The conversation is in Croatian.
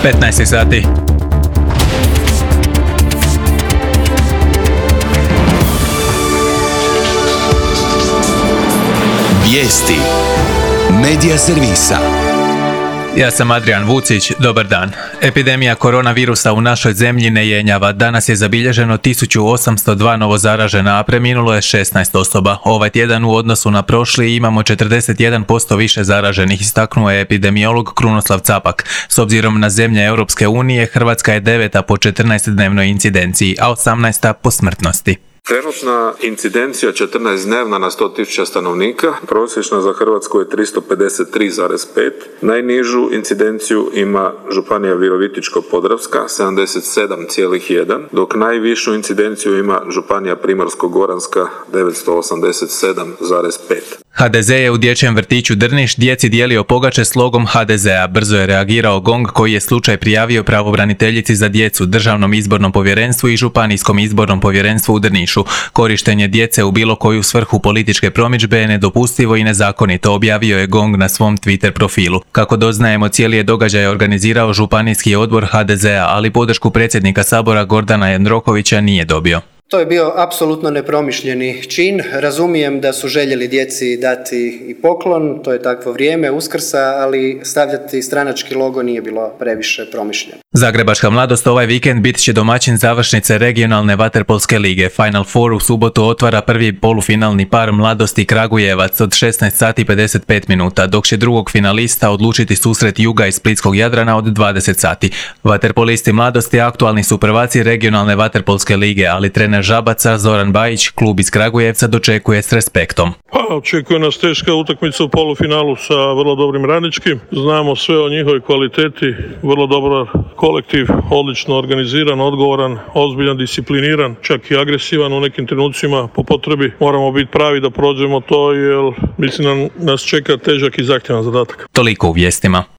15 sati. Vijesti Medija servisa. Ja sam Adrian Vucić, dobar dan. Epidemija koronavirusa u našoj zemlji ne jenjava. Danas je zabilježeno 1802 novozaražena, a preminulo je 16 osoba. Ovaj tjedan u odnosu na prošli imamo 41% više zaraženih, istaknuo je epidemiolog Krunoslav Capak. S obzirom na zemlje Europske unije, Hrvatska je 9. po 14-dnevnoj incidenciji, a 18. po smrtnosti. Trenutna incidencija 14-dnevna na 100.000 stanovnika, prosječna za Hrvatsku je 353,5. Najnižu incidenciju ima županija Virovitičko-podravska 77,1, dok najvišu incidenciju ima županija Primorsko-goranska 987,5. HDZ je u dječjem vrtiću Drniš djeci dijelio pogače s logom HDZ-a. Brzo je reagirao GONG koji je slučaj prijavio pravobraniteljici za djecu, Državnom izbornom povjerenstvu i Županijskom izbornom povjerenstvu u Drnišu. Korištenje djece u bilo koju svrhu političke promidžbe je nedopustivo i nezakonito, objavio je GONG na svom Twitter profilu. Kako doznajemo, cijeli je događaj organizirao Županijski odbor HDZ-a, ali podršku predsjednika Sabora Gordana Jandrokovića nije dobio. To je bio apsolutno nepromišljeni čin. Razumijem da su željeli djeci dati i poklon, to je takvo vrijeme Uskrsa, ali stavljati stranački logo nije bilo previše promišljeno. Zagrebačka mladost ovaj vikend bit će domaćin završnice regionalne vaterpolske lige. Final Four u subotu otvara prvi polufinalni par Mladosti Kragujevac od 16 sati 55 minuta, dok će drugog finalista odlučiti susret Juga iz Splitskog Jadrana od 20 sati. Vaterpolisti Mladosti aktualni su prvaci regionalne vaterpolske lige, ali trener Žabaca Zoran Bajić klub iz Kragujevca dočekuje s respektom. Očekuje nas teška utakmica u polufinalu sa vrlo dobrim Radničkim. Znamo sve o njihovoj kvaliteti, vrlo dobar kolektiv, odlično organiziran, odgovoran, ozbiljan, discipliniran, čak i agresivan u nekim trenucima po potrebi. Moramo biti pravi da prođemo to jer mislim da nas čeka težak i zahtjevan zadatak. Toliko u vijestima.